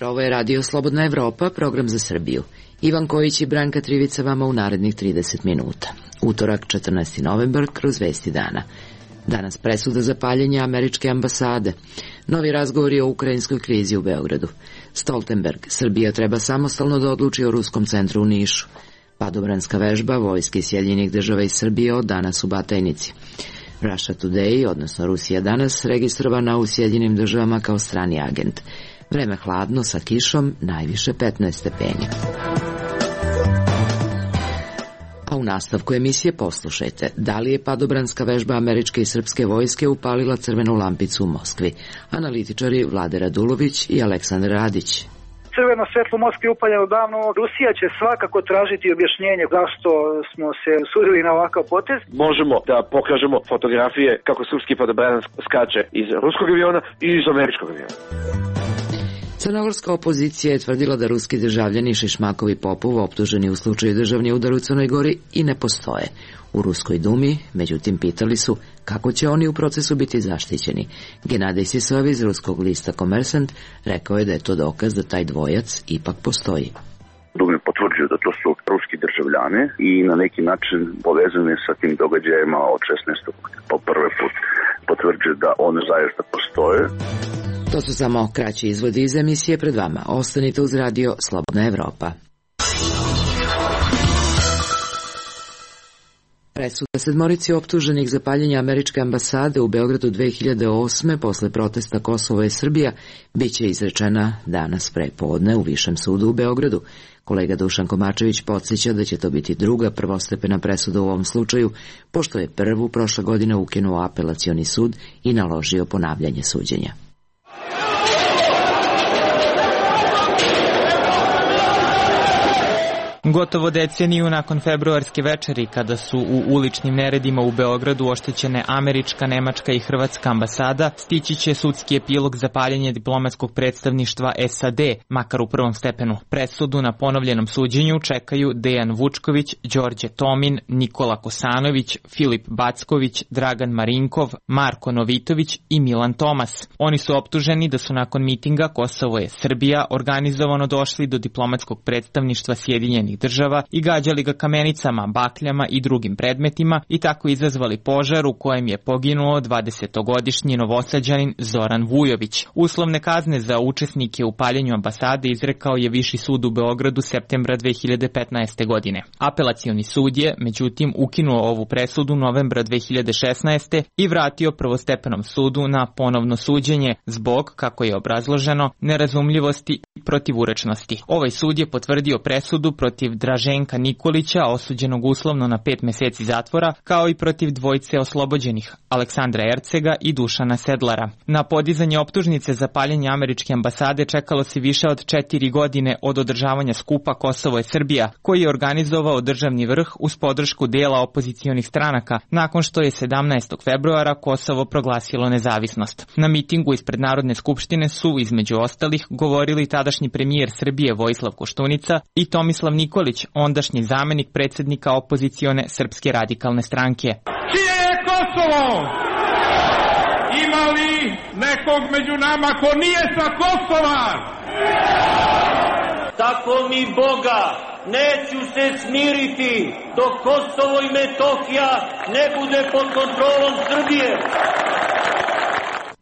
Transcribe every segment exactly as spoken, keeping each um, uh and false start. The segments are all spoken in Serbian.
jutro, ovo je Radio Slobodna Evropa, program za Srbiju. Ivan Kojić i Branka Trivica vama u narednih trideset minuta. Utorak, četrnaesti novembar, kroz vesti dana. Danas presuda za paljenje američke ambasade. Novi razgovori o ukrajinskoj krizi u Beogradu. Stoltenberg, Srbija treba samostalno da odluči o ruskom centru u Nišu. Padobranska vežba vojske Sjedinjenih država i Srbije od danas u Batajnici. Russia Today, odnosno Rusija danas, registrovana u Sjedinjenim državama kao strani agent. Vreme hladno sa kišom, najviše petnaest stepeni. A u nastavku emisije poslušajte, da li je padobranska vežba američke i srpske vojske upalila crvenu lampicu u Moskvi? Analitičari Vlade Radulović i Aleksandar Radić. Crveno svetlo u Moskvi upaljeno davno. Rusija će svakako tražiti objašnjenje zašto smo se usudili na ovakav potez. Možemo da pokažemo fotografije kako srpski padobranac skače iz ruskog aviona i iz američkog aviona. Crnogorska opozicija je tvrdila da ruski državljani Šišmakov i Popov, optuženi u slučaju državni udar u Crnoj Gori, i ne postoje. U Ruskoj dumi, međutim, pitali su kako će oni u procesu biti zaštićeni. Genadij Sisov iz ruskog lista Komersant rekao je da je to dokaz da taj dvojac ipak postoji. Dum je potvrđio da to su ruski državljani i na neki način povezani sa tim događajima od šesnaestog po prvi put potvrđuje da one zaista postoje. To su samo kraći izvodi iz emisije pred vama. Ostanite uz Radio Slobodna Evropa. Presuda sedmorici optuženih za paljenje američke ambasade u Beogradu dve hiljade osme posle protesta Kosovo i Srbija biće izrečena danas pre podne u Višem sudu u Beogradu. Kolega Dušan Komačević podsjeća da će to biti druga prvostepena presuda u ovom slučaju, pošto je prvu prošle godine ukinuo apelacioni sud i naložio ponavljanje suđenja. Gotovo deceniju nakon februarske večeri, kada su u uličnim neredima u Beogradu oštećene američka, nemačka i hrvatska ambasada, stići će sudski epilog za paljenje diplomatskog predstavništva S A D, makar u prvom stepenu. Presudu na ponovljenom suđenju čekaju Dejan Vučković, Đorđe Tomin, Nikola Kosanović, Filip Backović, Dragan Marinkov, Marko Novitović i Milan Tomas. Oni su optuženi da su nakon mitinga Kosovo je Srbija organizovano došli do diplomatskog predstavništva Sjedinjenih država i gađali ga kamenicama, bakljama i drugim predmetima i tako izazvali požar u kojem je poginuo dvadesetogodišnji Novosađanin Zoran Vujović. Uslovne kazne za učesnike u paljenju ambasade izrekao je Viši sud u Beogradu septembra dve hiljade petnaeste. godine. Apelacioni sud je, međutim, ukinuo ovu presudu novembra dve hiljade šesnaeste. i vratio prvostepenom sudu na ponovno suđenje zbog, kako je obrazloženo, nerazumljivosti i protivurečnosti. Ovaj sud je potvrdio presudu protiv Draženka Nikolića, osuđenog uslovno na pet meseci zatvora, kao i protiv dvojice oslobođenih, Aleksandra Ercega i Dušana Sedlara. Na podizanje optužnice za paljenje američke ambasade čekalo se više od četiri godine od održavanja skupa Kosovo je Srbija, koji je organizovao državni vrh uz podršku dela opozicionih stranaka, nakon što je sedamnaestog februara Kosovo proglasilo nezavisnost. Na mitingu ispred Narodne skupštine su, između ostalih, govorili tadašnji premijer Srbije Vojislav Koštunica i Tomislav Nikolić, ondašnji zamenik predsjednika opozicione Srpske radikalne stranke. Čije je Kosovo? Ima li nekog među nama ko nije sa Kosova? Tako mi Boga, neću se smiriti dok Kosovo i Metohija ne bude pod kontrolom Srbije.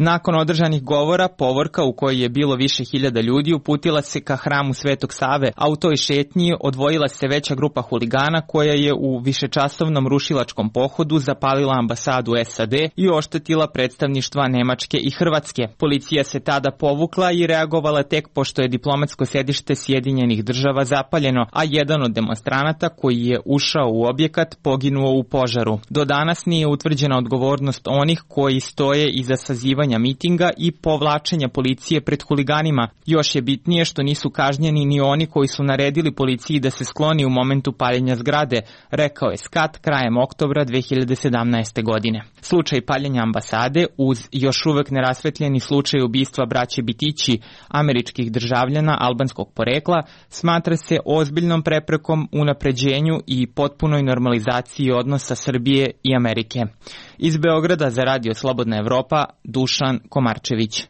Nakon održanih govora, povorka u kojoj je bilo više hiljada ljudi uputila se ka hramu Svetog Save, a u toj šetnji odvojila se veća grupa huligana koja je u višečasovnom rušilačkom pohodu zapalila ambasadu S A D i oštetila predstavništva Nemačke i Hrvatske. Policija se tada povukla i reagovala tek pošto je diplomatsko sedište Sjedinjenih država zapaljeno, a jedan od demonstranata koji je ušao u objekat poginuo u požaru. Do danas nije utvrđena odgovornost onih koji stoje iza sazivanja mitinga i povlačenja policije pred huliganima. Još je bitnije što nisu kažnjeni ni oni koji su naredili policiji da se skloni u momentu paljenja zgrade, rekao je Skat krajem oktobra dve hiljade sedamnaeste. godine. Slučaj paljenja ambasade, uz još uvek nerasvetljeni slučaj ubistva braće Bitići, američkih državljana albanskog porekla, smatra se ozbiljnom preprekom unapređenju i potpunoj normalizaciji odnosa Srbije i Amerike. Iz Beograda za Radio Slobodna Evropa, Dušan Komarčević.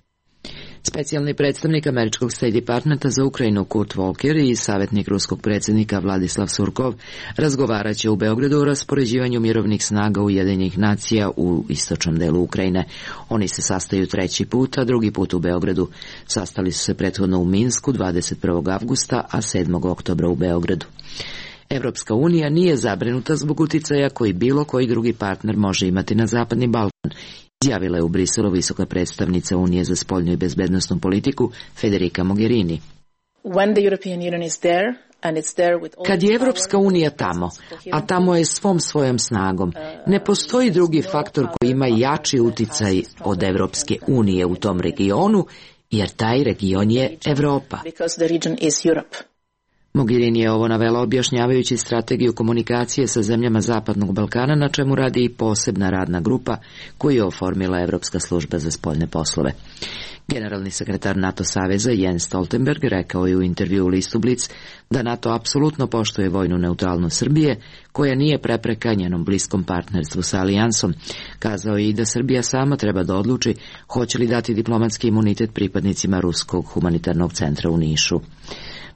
Specijalni predstavnik američkog State Departmenta za Ukrajinu Kurt Volker i savjetnik ruskog predsjednika Vladislav Surkov razgovaraće u Beogradu o raspoređivanju mirovnih snaga Ujedinjenih nacija u istočnom delu Ukrajine. Oni se sastaju treći put, a drugi put u Beogradu. Sastali su se prethodno u Minsku dvadeset prvog avgusta, a sedmog oktobra u Beogradu. Evropska unija nije zabrinuta zbog uticaja koji bilo koji drugi partner može imati na Zapadni Balkan, izjavila je u Briselu visoka predstavnica Unije za spoljnu i bezbednosnu politiku Federica Mogherini. Kad je Evropska unija tamo, a tamo je svom svojom snagom, ne postoji drugi faktor koji ima jači uticaj od Evropske unije u tom regionu, jer taj region je Evropa. Mogherini je ovo navela objašnjavajući strategiju komunikacije sa zemljama Zapadnog Balkana, na čemu radi i posebna radna grupa koju je oformila Evropska služba za spoljne poslove. Generalni sekretar NATO saveza Jens Stoltenberg rekao je u intervju u listu Blic da NATO apsolutno poštuje vojnu neutralnost Srbije, koja nije prepreka njenom bliskom partnerstvu sa alijansom. Kazao je i da Srbija sama treba da odluči hoće li dati diplomatski imunitet pripadnicima Ruskog humanitarnog centra u Nišu.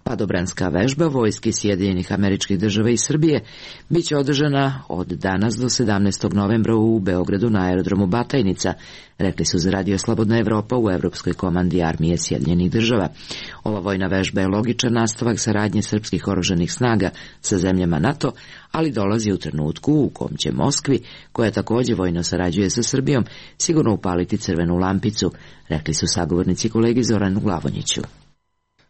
Padobranska vežba vojski Sjedinjenih Američkih Država i Srbije biće održana od danas do sedamnaestog novembra u Beogradu na aerodromu Batajnica, rekli su za Radio Slobodna Evropa u Evropskoj komandi armije Sjedinjenih Država. Ova vojna vežba je logičan nastavak saradnje srpskih oružanih snaga sa zemljama NATO, ali dolazi u trenutku u kom će Moskvi, koja također vojno sarađuje sa Srbijom, sigurno upaliti crvenu lampicu, rekli su sagovornici kolegi Zoranu Glavonjiću.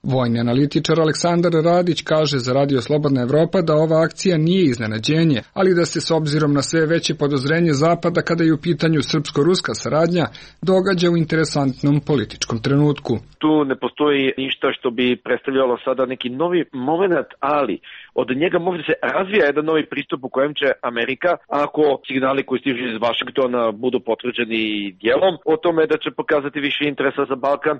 Vojni analitičar Aleksandar Radić kaže za Radio Slobodna Evropa da ova akcija nije iznenađenje, ali da se s obzirom na sve veće podozrenje Zapada kada je u pitanju srpsko-ruska saradnja događa u interesantnom političkom trenutku. Tu ne postoji ništa što bi predstavljalo sada neki novi moment, ali od njega može se razvija jedan novi pristup u kojem će Amerika, ako signali koji stižu iz Vašingtona budu potvrđeni dijelom, o tome da će pokazati više interesa za Balkan,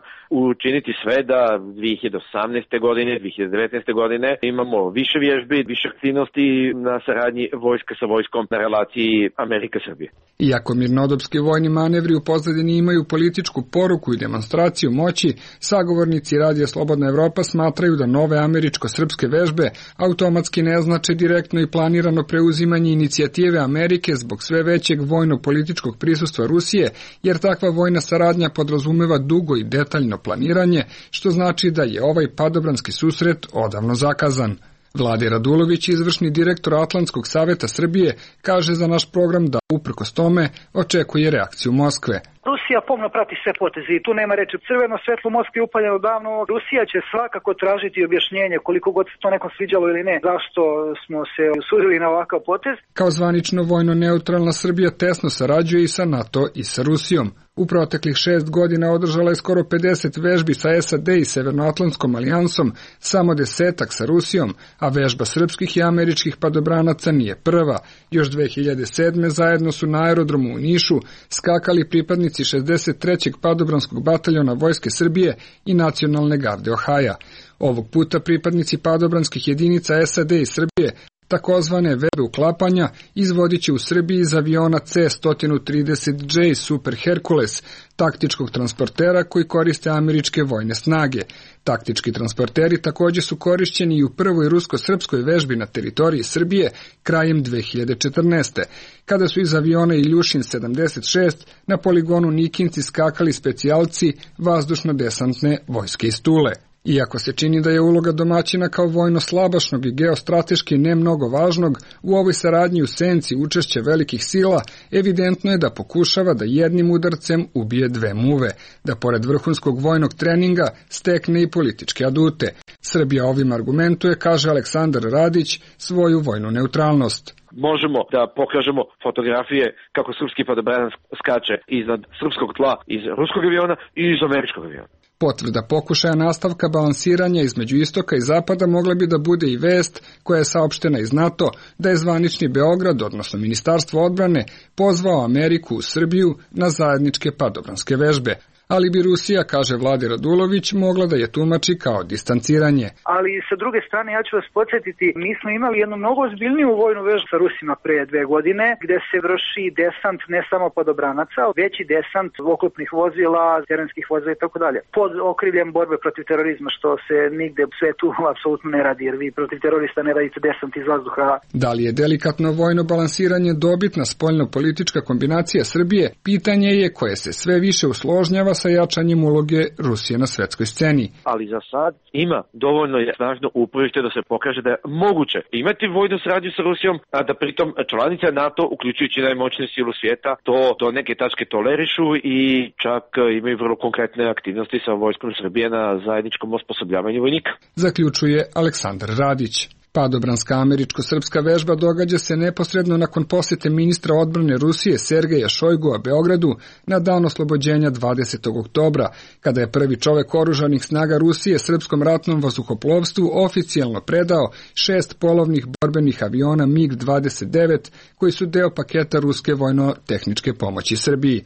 učiniti sve da dve hiljade osamnaeste. godine, dve hiljade devetnaeste. godine imamo više vježbi, više aktivnosti na saradnji vojska sa vojskom na relaciji Amerika-Srbije. Iako mirnodopski vojni manevri u pozadini imaju političku poruku i demonstraciju moći, sagovornici Radija Slobodna Evropa smatraju da nove američko-srpske vežbe automatski ne znače direktno i planirano preuzimanje inicijative Amerike zbog sve većeg vojno-političkog prisustva Rusije, jer takva vojna saradnja podrazumeva dugo i detaljno planiranje, što znači da je ovaj padobranski susret odavno zakazan. Vlade Radulović, izvršni direktor Atlantskog saveta Srbije, kaže za naš program da, uprkos tome, očekuje reakciju Moskve. Rusija pomno prati sve poteze i tu nema reči. Crveno svetlo Moskve je upaljeno davno. Rusija će svakako tražiti objašnjenje, koliko god se to nekom sviđalo ili ne, zašto smo se usudili na ovakav potez. Kao zvanično vojno neutralna Srbija tesno sarađuje i sa NATO i sa Rusijom. U proteklih šest godina održala je skoro pedeset vežbi sa S A D i Severnoatlantskom alijansom, samo desetak sa Rusijom, a vežba srpskih i američkih padobranaca nije prva. Još dve hiljade sedme. zajedno su na aerodromu u Nišu skakali pripadnici šezdeset trećeg padobranskog bataljona Vojske Srbije i Nacionalne garde Ohaja. Ovog puta pripadnici padobranskih jedinica S A D i Srbije takozvane vežbe uklapanja izvodit će u Srbiji iz aviona C sto trideset J Super Hercules, taktičkog transportera koji koriste američke vojne snage. Taktički transporteri također su korišćeni i u prvoj rusko-srpskoj vežbi na teritoriji Srbije krajem dve hiljade četrnaeste. kada su iz aviona Iljušin sedamdeset šest na poligonu Nikinci skakali specijalci vazdušno-desantne vojske iz Tule. Iako se čini da je uloga domaćina kao vojno-slabašnog i geostrateški ne mnogo važnog, u ovoj saradnji u senci učešća velikih sila, evidentno je da pokušava da jednim udarcem ubije dve muve, da pored vrhunskog vojnog treninga stekne i političke adute. Srbija ovim argumentuje, kaže Aleksandar Radić, svoju vojnu neutralnost. Možemo da pokažemo fotografije kako srpski padobranan skače iznad srpskog tla iz ruskog aviona i iz američkog aviona. Potvrda pokušaja nastavka balansiranja između istoka i zapada mogla bi da bude i vest koja je saopštena iz NATO da je zvanični Beograd, odnosno Ministarstvo odbrane, pozvao Ameriku u Srbiju na zajedničke padobranske vežbe. ali bi Rusija, kaže Vladi Radulović, mogla da je tumači kao distanciranje. Ali sa druge strane, ja ću vas podsjetiti, mi smo imali jednu mnogo ozbiljniju vojnu vežbu sa Rusima pre dve godine, gde se vrši desant ne samo padobranaca, već i desant oklopnih vozila, terenskih vozila i tako dalje. Pod okriljem borbe protiv terorizma, što se nigde u svetu apsolutno ne radi, jer vi protiv terorista ne radite desant iz vazduha. Da li je delikatno vojno balansiranje dobitna spoljno-politička kombinacija Srbije, pitanje je koje se sve više usložnjava sa jačanjem uloge Rusije na svetskoj sceni. Ali za sad ima dovoljno je snažno uporište da se pokaže da je moguće imati vojnu saradnju sa Rusijom, a da pritom članice NATO, uključujući najmoćniju silu svijeta, to do neke tačke tolerišu i čak imaju vrlo konkretne aktivnosti sa vojskom Srbije na zajedničkom osposobljavanju vojnika. Zaključuje Aleksandar Radić. Padobranska američko-srpska vežba događa se neposredno nakon posete ministra odbrane Rusije Sergeja Šojgua Beogradu na dan oslobođenja dvadesetog oktobra, kada je prvi čovek oružanih snaga Rusije srpskom ratnom vazduhoplovstvu oficijalno predao šest polovnih borbenih aviona mig dvadeset devet koji su deo paketa ruske vojno-tehničke pomoći Srbiji.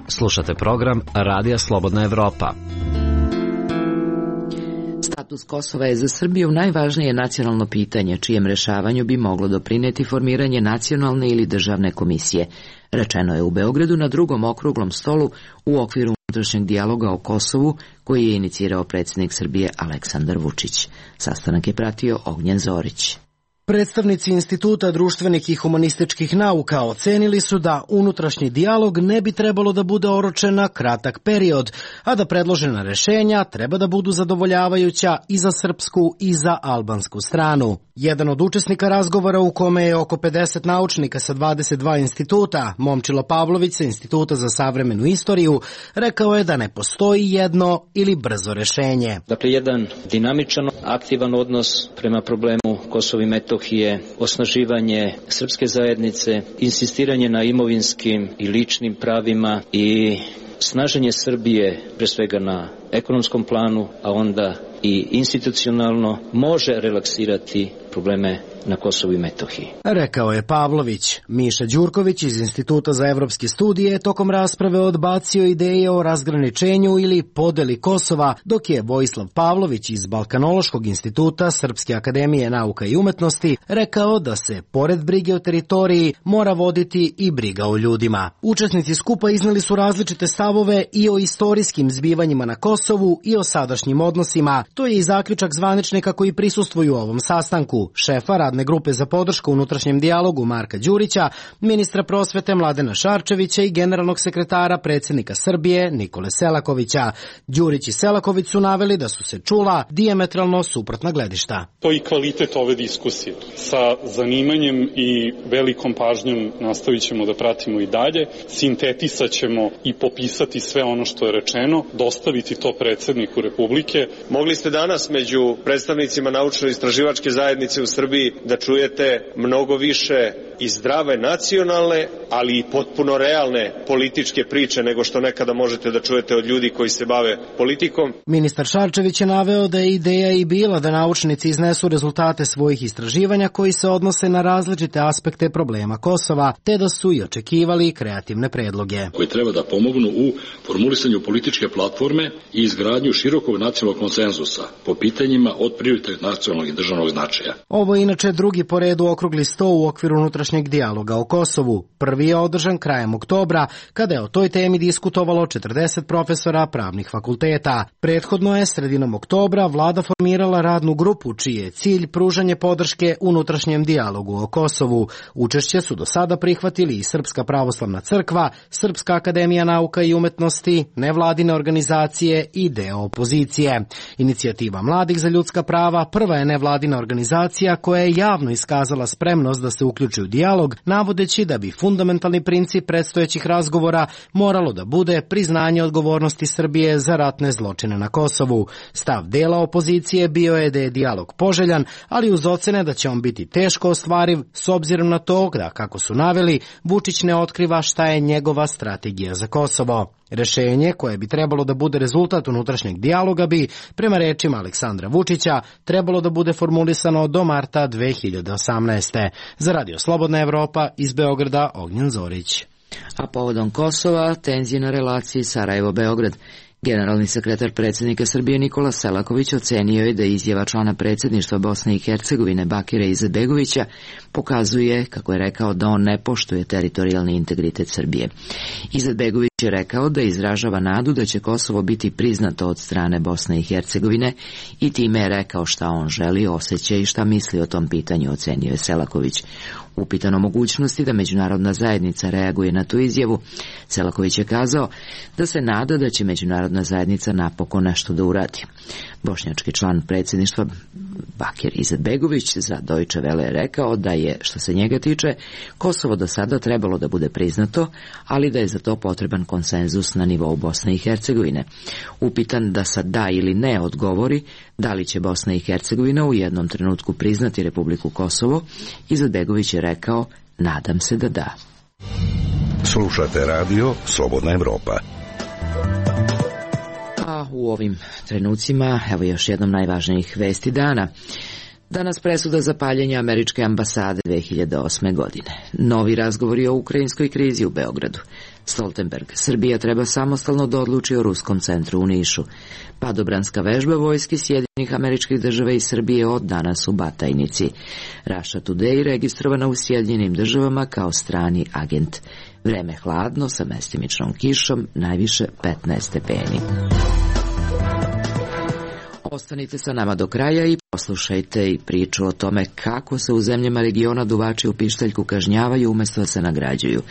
Slušate program Radija Slobodna Evropa. Status Kosova je za Srbiju najvažnije nacionalno pitanje, čijem rešavanju bi moglo doprineti formiranje nacionalne ili državne komisije. Rečeno je u Beogradu na drugom okruglom stolu u okviru unutrašnjeg dijaloga o Kosovu, koji je inicirao predsjednik Srbije Aleksandar Vučić. Sastanak je pratio Ognjen Zorić. Predstavnici Instituta društvenih i humanističkih nauka ocenili su da unutrašnji dijalog ne bi trebalo da bude oročen na kratak period, a da predložena rešenja treba da budu zadovoljavajuća i za srpsku i za albansku stranu. Jedan od učesnika razgovora, u kome je oko pedeset naučnika sa dvadeset dva instituta, Momčilo Pavlović sa Instituta za savremenu istoriju, rekao je da ne postoji jedno ili brzo rešenje. Dakle, jedan dinamičan, aktivan odnos prema problemu Kosova i Metohije, osnaživanje srpske zajednice, insistiranje na imovinskim i ličnim pravima i snaženje Srbije, pre svega na ekonomskom planu, a onda i institucionalno, može relaksirati probleme na Kosovu i Metohiji. Rekao je Pavlović. Miša Đurković iz Instituta za evropske studije tokom rasprave odbacio ideje o razgraničenju ili podeli Kosova, dok je Vojislav Pavlović iz Balkanološkog instituta Srpske akademije nauka i umetnosti rekao da se, pored brige o teritoriji, mora voditi i briga o ljudima. Učesnici skupa izneli su različite stavove i o istorijskim zbivanjima na Kosovu i o sadašnjim odnosima. To je i zaključak zvaničnika koji prisustvuju ovom sastanku, šefa radne grupe za podršku unutrašnjem dijalogu Marka Đurića, ministra prosvete Mladena Šarčevića i generalnog sekretara predsjednika Srbije Nikole Selakovića. Đurić i Selaković su naveli da su se čula dijametralno suprotna gledišta. To je i kvalitet ove diskusije. Sa zanimanjem i velikom pažnjom nastavit ćemo da pratimo i dalje, sintetisat ćemo i popisati sve ono što je rečeno, dostaviti to predsjedniku Republike. Mogli ste danas među predstavnicima naučno-istraživačke zajednice u Srbiji da čujete mnogo više i zdrave nacionalne, ali i potpuno realne političke priče nego što nekada možete da čujete od ljudi koji se bave politikom. Ministar Šarčević je naveo da je ideja i bila da naučnici iznesu rezultate svojih istraživanja koji se odnose na različite aspekte problema Kosova, te da su i očekivali kreativne predloge. Koji treba da pomognu u formulisanju političke platforme i izgradnju širokog nacionalnog konsenzusa po pitanjima od prioritetnog nacionalnog i državnog značaja. Ovo je inače drugi po redu okrugli sto u okviru unutrašnjeg dijaloga o Kosovu. Prvi je održan krajem oktobra, kada je o toj temi diskutovalo četrdeset profesora pravnih fakulteta. Prethodno je sredinom oktobra vlada formirala radnu grupu, čiji je cilj pružanje podrške unutrašnjem dijalogu o Kosovu. Učešće su do sada prihvatili i Srpska pravoslavna crkva, Srpska akademija nauka i umetnosti, nevladine organizacije i deo opozicije. Inicijativa mladih za ljudska prava prva je nevladina organizacija koja je javno iskazala spremnost da se uključi u dijalog, navodeći da bi fundamentalni princip predstojećih razgovora moralo da bude priznanje odgovornosti Srbije za ratne zločine na Kosovu. Stav dela opozicije bio je da je dijalog poželjan, ali uz ocene da će on biti teško ostvariv s obzirom na to da, kako su naveli, Vučić ne otkriva šta je njegova strategija za Kosovo. Rešenje, koje bi trebalo da bude rezultat unutrašnjeg dijaloga, bi, prema rečima Aleksandra Vučića, trebalo da bude formulisano do marta dve hiljade osamnaeste. Za Radio Slobodna Evropa iz Beograda, Ognjen Zorić. A povodom Kosova, tenzije na relaciji Sarajevo-Beograd. Generalni sekretar predsjednika Srbije Nikola Selaković ocenio je da izjava člana predsjedništva Bosne i Hercegovine Bakira Izetbegovića pokazuje, kako je rekao, da on ne poštuje teritorijalni integritet Srbije. Izetbegović je rekao da izražava nadu da će Kosovo biti priznato od strane Bosne i Hercegovine i time je rekao šta on želi, osjeća i šta misli o tom pitanju, ocenio je Selaković. Upitan o mogućnosti da međunarodna zajednica reaguje na tu izjavu, Selaković je kazao da se nada da će međunarodna zajednica napokon nešto da uradi. Bošnjački član predsjedništva Bakir Izetbegović za Deutsche Welle je rekao da je, što se njega tiče, Kosovo do sada trebalo da bude priznato, ali da je za to potreban konsenzus na nivou Bosne i Hercegovine. Upitan da sad da ili ne odgovori da li će Bosna i Hercegovina u jednom trenutku priznati Republiku Kosovo, Izetbegović je rekao, nadam se da da. Slušate radio Slobodna Evropa. A u ovim trenucima, evo još jednom najvažnijih vesti dana. Danas presuda za paljenje američke ambasade dve hiljade osme godine. Novi razgovori o ukrajinskoj krizi u Beogradu. Stoltenberg, Srbija treba samostalno da odluči o ruskom centru u Nišu. Padobranska vežba vojske Sjedinjenih Američkih Država i Srbije od danas u Batajnici. Russia Today registrovana u Sjedinjenim Državama kao strani agent. Vreme hladno sa mestimičnom kišom, najviše petnaest stepeni. Ostanite sa nama do kraja i poslušajte i priču o tome kako se u zemljama regiona duvači u pištaljku kažnjavaju umjesto da se nagrađuju.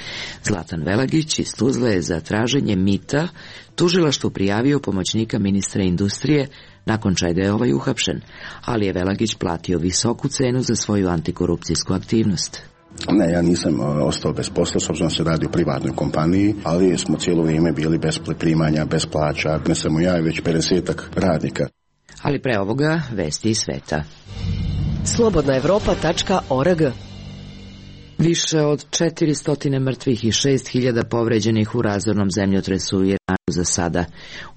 Zlatan Velagić iz Tuzle je za traženje mita tužilaštvu prijavio pomoćnika ministra industrije, nakon čega je ovaj uhapšen, ali je Velagić platio visoku cenu za svoju antikorupcijsku aktivnost. Ne, ja nisam ostao bez posla, s obzirom se radi o privatnoj kompaniji, ali smo cijelo vrijeme bili bez primanja, bez plaća, ne samo ja, već pedesetak radnika. Ali pre ovoga vesti iz sveta. slobodna evropa tačka org. Više od četiristo mrtvih i šest hiljada povređenih u razornom zemljotresu u Iranu za sada,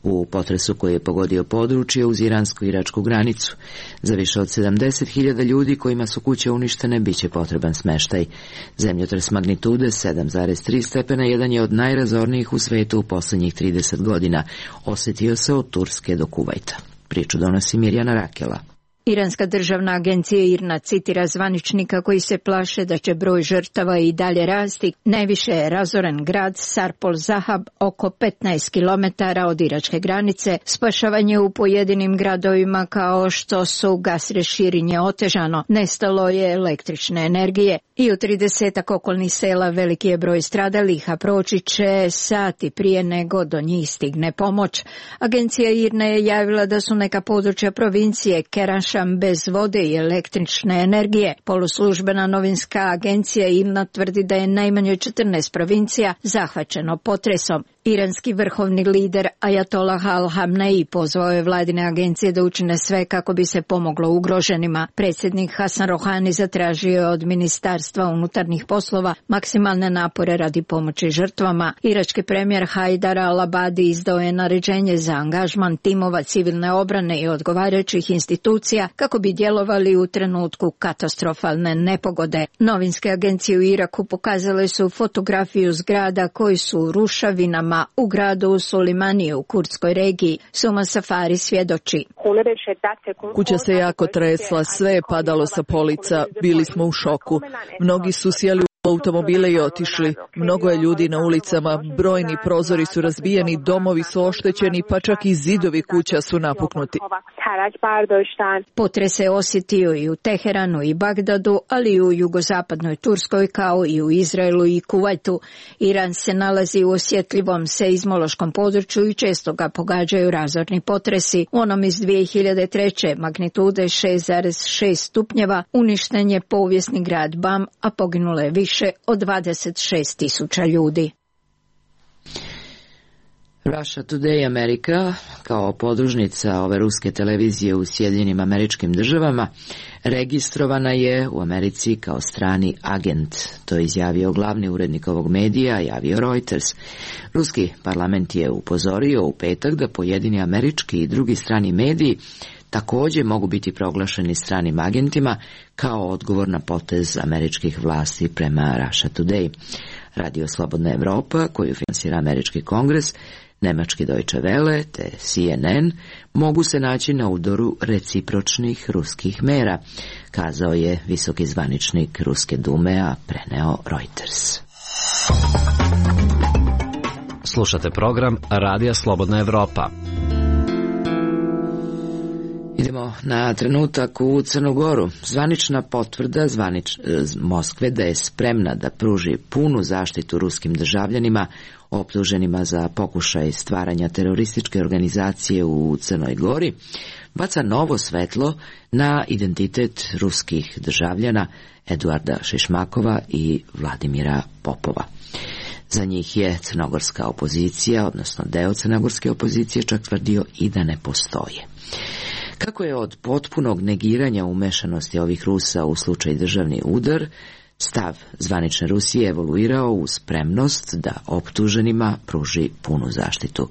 u potresu koji je pogodio područje uz iransko-iračku granicu. Za više od sedamdeset hiljada ljudi kojima su kuće uništene biće potreban smeštaj. Zemljotres magnitude sedam zarez tri stepena jedan je od najrazornijih u svetu u posljednjih trideset godina. Osjetio se od Turske do Kuvajta. Priču donosi Mirjana Rakela. Iranska državna agencija I R N A citira zvaničnika koji se plaše da će broj žrtava i dalje rasti. Najviše je razoren grad Sarpol Zahab, oko petnaest kilometara od iračke granice. Spašavanje u pojedinim gradovima kao što su Gasre Širinje otežano. Nestalo je električne energije. I u tridesetak okolnih sela veliki je broj stradalih, a proći će sati prije nego do njih stigne pomoć. Agencija I R N A je javila da su neka područja provincije Keraš bez vode i električne energije. Poluslužbena novinska agencija I R N A tvrdi da je najmanje četrnaest provincija zahvaćeno potresom. Iranski vrhovni lider Ajatolah Al-Hamnei pozvao je vladine agencije da učine sve kako bi se pomoglo ugroženima. Predsjednik Hasan Rohani zatražio je od Ministarstva unutarnjih poslova maksimalne napore radi pomoći žrtvama. Irački premijer Haidar al-Abadi izdao je naređenje za angažman timova civilne obrane i odgovarajućih institucija kako bi djelovali u trenutku katastrofalne nepogode. Novinske agencije u Iraku pokazale su fotografiju zgrada koji su u rušavinama u gradu Sulimanije u kurdskoj regiji. Suma Safari svjedoči. Kuća se jako tresla, sve je padalo sa polica, bili smo u šoku. Mnogi su sjeli u automobile i otišli. Mnogo je ljudi na ulicama, brojni prozori su razbijeni, domovi su oštećeni, pa čak i zidovi kuća su napuknuti. Potres se osjetio i u Teheranu i Bagdadu, ali i u jugozapadnoj Turskoj kao i u Izraelu i Kuvajtu. Iran se nalazi u osjetljivom seizmološkom području i često ga pogađaju razorni potresi. U onom iz dvije hiljade treće magnitude šest zarez šest stupnjeva uništen je povijesni grad Bam, a poginulo je više od dvadeset šest tisuća ljudi. Russia Today Amerika, kao podružnica ove ruske televizije u Sjedinjenim Američkim Državama, registrovana je u Americi kao strani agent. To je izjavio glavni urednik ovog medija, javio Reuters. Ruski parlament je upozorio u petak da pojedini američki i drugi strani mediji također mogu biti proglašeni stranim agentima kao odgovor na potez američkih vlasti prema Russia Today. Radio Slobodna Evropa, koju finansira Američki kongres, Nemački Deutsche Welle te C N N mogu se naći na udaru recipročnih ruskih mera, kazao je visoki zvaničnik Ruske dume, a preneo Reuters. Slušate program Radija Slobodna Evropa. Idemo na trenutak u Crnu Goru. Zvanična potvrda zvanič, Moskve da je spremna da pruži punu zaštitu ruskim državljanima optuženima za pokušaj stvaranja terorističke organizacije u Crnoj Gori baca novo svetlo na identitet ruskih državljana Eduarda Šišmakova i Vladimira Popova. Za njih je crnogorska opozicija, odnosno deo crnogorske opozicije, čak tvrdio i da ne postoje. Kako je od potpunog negiranja umešanosti ovih Rusa u slučaj državni udar, stav zvanične Rusije evoluirao u spremnost da optuženima pruži punu zaštitu.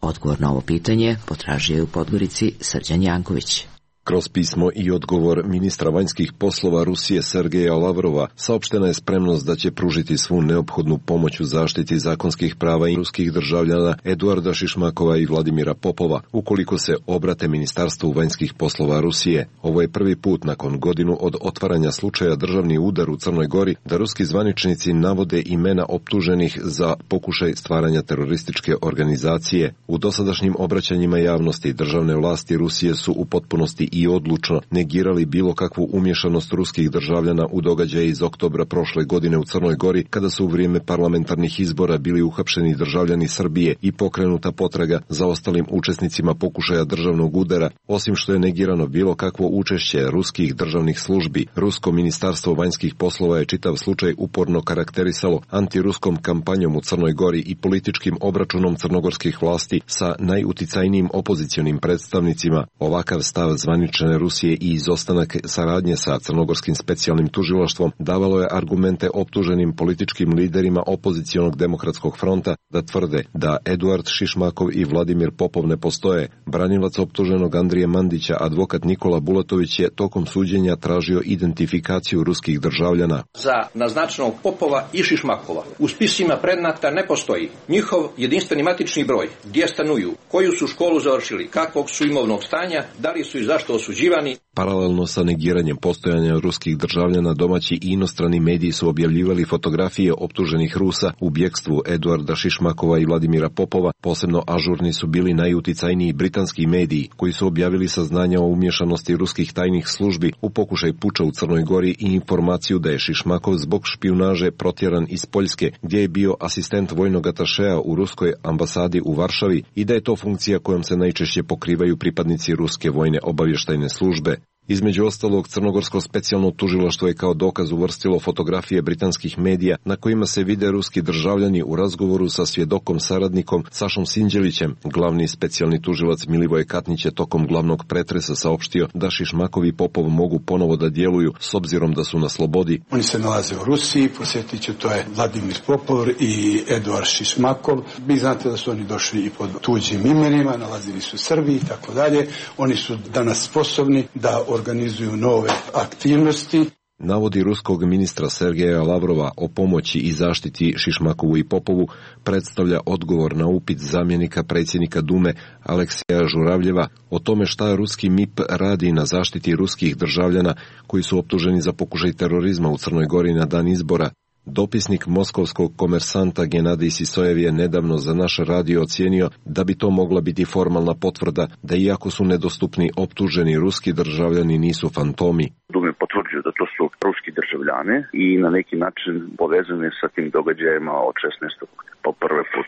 Odgovor na ovo pitanje potražio je u Podgorici Srđan Janković. Kroz pismo i odgovor ministra vanjskih poslova Rusije Sergeja Lavrova saopštena je spremnost da će pružiti svu neophodnu pomoć u zaštiti zakonskih prava i ruskih državljana Eduarda Šišmakova i Vladimira Popova, ukoliko se obrate Ministarstvu vanjskih poslova Rusije. Ovo je prvi put nakon godinu od otvaranja slučaja državni udar u Crnoj Gori da ruski zvaničnici navode imena optuženih za pokušaj stvaranja terorističke organizacije. U dosadašnjim obraćanjima javnosti državne vlasti Rusije su u potpunosti i odlučno negirali bilo kakvu umješanost ruskih državljana u događaje iz oktobra prošle godine u Crnoj Gori, kada su u vrijeme parlamentarnih izbora bili uhapšeni državljani Srbije i pokrenuta potraga za ostalim učesnicima pokušaja državnog udara. Osim što je negirano bilo kakvo učešće ruskih državnih službi, Rusko ministarstvo vanjskih poslova je čitav slučaj uporno karakterisalo antiruskom kampanjom u Crnoj Gori i političkim obračunom crnogorskih vlasti sa najuticajnijim opozicionim predstavnicima. Ovakav stav zvanične Rusije i izostanak saradnje sa crnogorskim specijalnim tužilaštvom davalo je argumente optuženim političkim liderima opozicionog demokratskog fronta da tvrde da Eduard Šišmakov i Vladimir Popov ne postoje. Branilac optuženog Andrije Mandića, advokat Nikola Bulatović, je tokom suđenja tražio identifikaciju ruskih državljana. Za naznačenog Popova i Šišmakova u spisima predmeta ne postoji njihov jedinstveni matični broj, gdje stanuju, koju su školu završili, kakvog su imovnog stanja, da li su i zašto osuđivani. Paralelno sa negiranjem postojanja ruskih državljana, domaći i inostrani mediji su objavljivali fotografije optuženih Rusa u bjekstvu Eduarda Šišmakova i Vladimira Popova. Posebno ažurni su bili najuticajniji britanski mediji, koji su objavili saznanja o umješanosti ruskih tajnih službi u pokušaj puča u Crnoj Gori i informaciju da je Šišmakov zbog špijunaže protjeran iz Poljske, gdje je bio asistent vojnog atašea u ruskoj ambasadi u Varšavi, i da je to funkcija kojom se najčešće pokrivaju pripadnici ruske vojne obavještajne službe. Između ostalog, crnogorsko specijalno tužilaštvo je kao dokaz uvrstilo fotografije britanskih medija na kojima se vide ruski državljani u razgovoru sa svjedokom saradnikom Sašom Sinđelićem. Glavni specijalni tužilac Milivoje Katnić je tokom glavnog pretresa saopštio da Šišmakov i Popov mogu ponovo da djeluju s obzirom da su na slobodi. Oni se nalaze u Rusiji, posjetit ću, to je Vladimir Popov i Eduard Šišmakov. Vi znate da su oni došli i pod tuđim imenima, nalazili su u Srbiji i tako dalje. Oni su danas sposobni da organizuju nove aktivnosti. Navodi ruskog ministra Sergeja Lavrova o pomoći i zaštiti Šišmakovu i Popovu predstavlja odgovor na upit zamjenika predsjednika Dume Aleksija Žuravljeva o tome šta ruski M I P radi na zaštiti ruskih državljana koji su optuženi za pokušaj terorizma u Crnoj Gori na dan izbora. Dopisnik moskovskog komersanta Genadij Sisojev je nedavno za naš radio ocijenio da bi to mogla biti formalna potvrda da iako su nedostupni optuženi ruski državljani nisu fantomi. Dume potvrđuju da to su ruski državljani i na neki način povezani sa tim događajima od šesnaestog po prvi put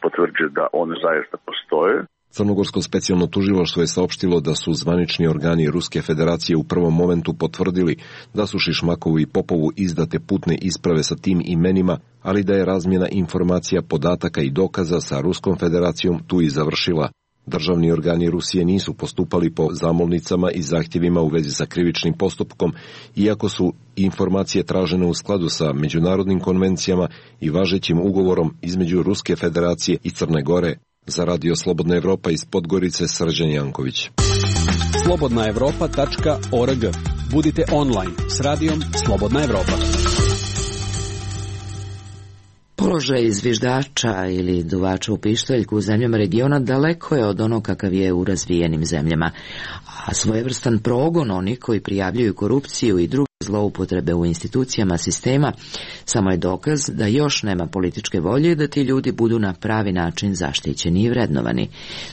potvrđuju da one zaista postoje. Crnogorsko specijalno tužilaštvo je saopštilo da su zvanični organi Ruske federacije u prvom momentu potvrdili da su Šišmakovu i Popovu izdate putne isprave sa tim imenima, ali da je razmjena informacija, podataka i dokaza sa Ruskom federacijom tu i završila. Državni organi Rusije nisu postupali po zamolnicama i zahtjevima u vezi sa krivičnim postupkom, iako su informacije tražene u skladu sa međunarodnim konvencijama i važećim ugovorom između Ruske federacije i Crne Gore. Za Radio Slobodna Evropa iz Podgorice, Srđan Janković. slobodna evropa tačka org. Budite online s radijom Slobodna Evropa. Položaj zviždača ili duvača u pištaljku u zemljama regiona daleko je od onog kakav je u razvijenim zemljama, a svojevrstan progon onih koji prijavljuju korupciju i druge zloupotrebe u institucijama sistema samo je dokaz da još nema političke volje da ti ljudi budu na pravi način zaštićeni i vrednovani.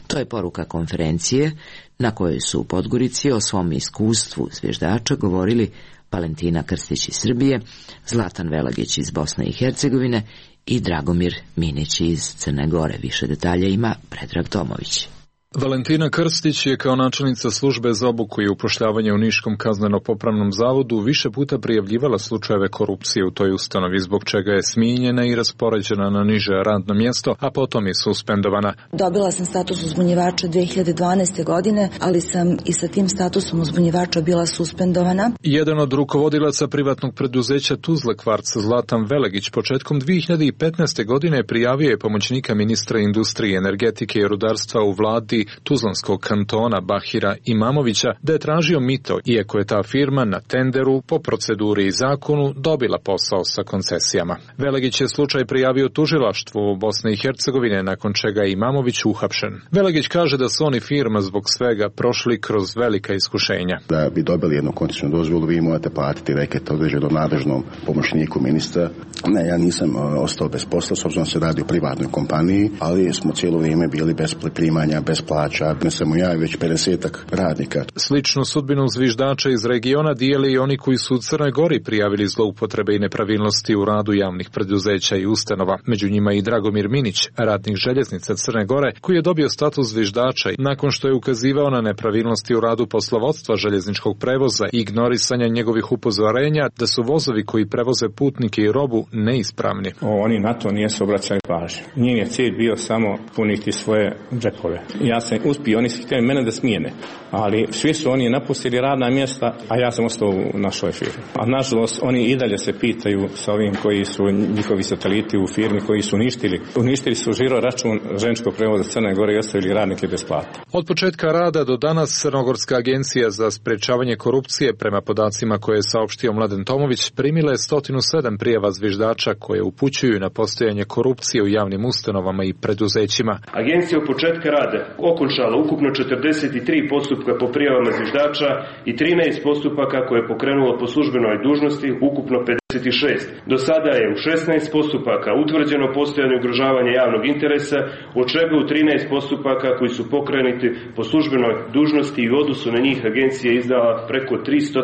To je poruka konferencije na kojoj su u Podgorici o svom iskustvu zviždača govorili Valentina Krstić iz Srbije, Zlatan Velagić iz Bosne i Hercegovine i Dragomir Minić iz Crne Gore. Više detalja ima Predrag Tomović. Valentina Krstić je kao načelnica službe za obuku i upošljavanje u Niškom kazneno-popravnom zavodu više puta prijavljivala slučajeve korupcije u toj ustanovi, zbog čega je smijenjena i raspoređena na niže radno mjesto, a potom je suspendovana. Dobila sam status uzbunjivača dve hiljade dvanaeste. godine, ali sam i sa tim statusom uzbunjivača bila suspendovana. Jedan od rukovodilaca privatnog preduzeća Tuzla Kvarc, Zlatan Velagić, početkom dve hiljade petnaeste. godine prijavio je pomoćnika ministra industrije, energetike i rudarstva u vladi Tuzlanskog kantona Bahira Imamovića da je tražio mito, iako je ta firma na tenderu po proceduri i zakonu dobila posao sa koncesijama. Velagić je slučaj prijavio tužilaštvu u Bosne i Hercegovine, nakon čega je Imamović uhapšen. Velagić kaže da su oni firma zbog svega prošli kroz velika iskušenja. Da bi dobili jednu koncesijnu dozvolu, vi morate platiti reket određeno nadležnom pomoćniku ministra. Ne, ja nisam ostao bez posla, s obzirom se radi o privatnoj kompaniji, ali smo cijelo vrijeme bili bez primanja, bez plaća, ne samo ja, već pedesetak radnika. Sličnu sudbinu zviždača iz regiona dijeli i oni koji su u Crnoj Gori prijavili zloupotrebe i nepravilnosti u radu javnih preduzeća i ustanova. Među njima i Dragomir Minić, radnik željeznica Crne Gore, koji je dobio status zviždača nakon što je ukazivao na nepravilnosti u radu poslovodstva željezničkog prevoza i ignorisanja njegovih upozorenja da su vozovi koji prevoze putnike i robu neispravni. O, oni na to nisu obraćali pažnju. Njim je cilj bio samo puniti svoje džepove. Ja sam uspio, oni su htjeli mene da smijene, ali svi su oni napustili radna mjesta, a ja sam ostao u našoj firmi. A nažalost, oni i dalje se pitaju sa ovim koji su njihovi sateliti u firmi koji su uništili. Uništili su žiro račun željezničkog prevoza Crne Gore i ostavili radnike bez plata. Od početka rada do danas Crnogorska agencija za sprečavanje korupcije, prema podacima koje je saopštio Mladen Tomović, primila je sto sedam prijava zviždača koje upućuju na postojanje korupcije u javnim ustanovama i preduzećima. Agencija u početka rada okončala ukupno četrdeset tri postupka po prijavama zviždača i trinaest postupaka koje je pokrenulo po službenoj dužnosti, ukupno pedeset šest. Do sada je u šesnaest postupaka utvrđeno postojanje ugrožavanja javnog interesa, od čega u trinaest postupaka koji su pokrenuti po službenoj dužnosti i u odnosu na njih agencija je izdala preko tristo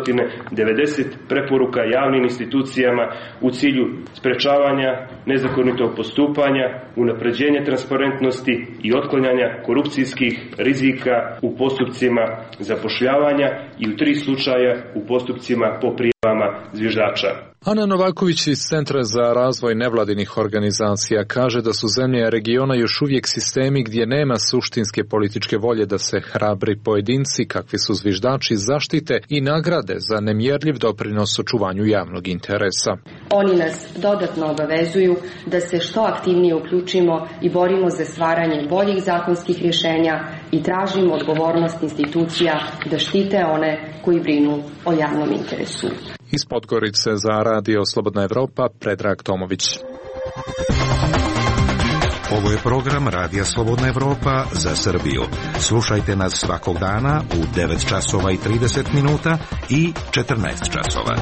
devedeset preporuka javnim institucijama u cilju sprečavanja nezakonitog postupanja, unapređenja transparentnosti i otklanjanja korupcijskih rizika u postupcima zapošljavanja i u tri slučaja u postupcima po prijavama zviždača. Ana Novaković iz Centra za razvoj nevladinih organizacija kaže da su zemlje regiona još uvijek sistemi gdje nema suštinske političke volje da se hrabri pojedinci, kakvi su zviždači, zaštite i nagrade za nemjerljiv doprinos očuvanju javnog interesa. Oni nas dodatno obavezuju da se što aktivnije uključimo i borimo za stvaranje boljih zakonskih rješenja i tražimo odgovornost institucija da štite one koji brinu o javnom interesu. Iz Podgorice za Radio Slobodna Evropa, Predrag Tomović. Ovo je program Radija Slobodna Evropa za Srbiju. Slušajte nas svakog dana u devet časova i trideset minuta i četrnaest časova.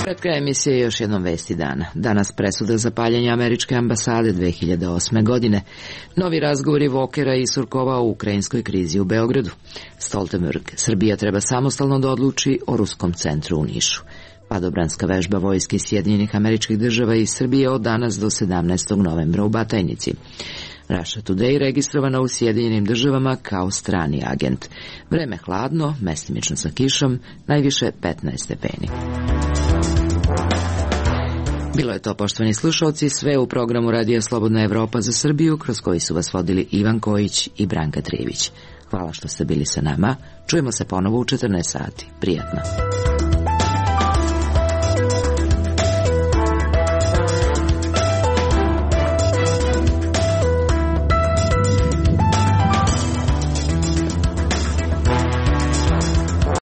Pred krajem emisije još jednom vesti dana. Danas presuda za paljenje američke ambasade dve hiljade osme. godine. Novi razgovori Vokera i Surkova u ukrajinskoj krizi u Beogradu. Stoltenberg, Srbija treba samostalno da odluči o ruskom centru u Nišu. Padobranska vežba vojske Sjedinjenih Američkih Država i Srbije od danas do sedamnaestog novembra u Batajnici. Russia Today registrovana u Sjedinjenim Državama kao strani agent. Vreme hladno, mestimično sa kišom, najviše petnaest stepeni. Bilo je to, poštovani slušalci, sve u programu Radija Slobodna Evropa za Srbiju, kroz koji su vas vodili Ivan Kojić i Branka Trivić. Hvala što ste bili sa nama. Čujemo se ponovo u četrnaest sati. Prijatno.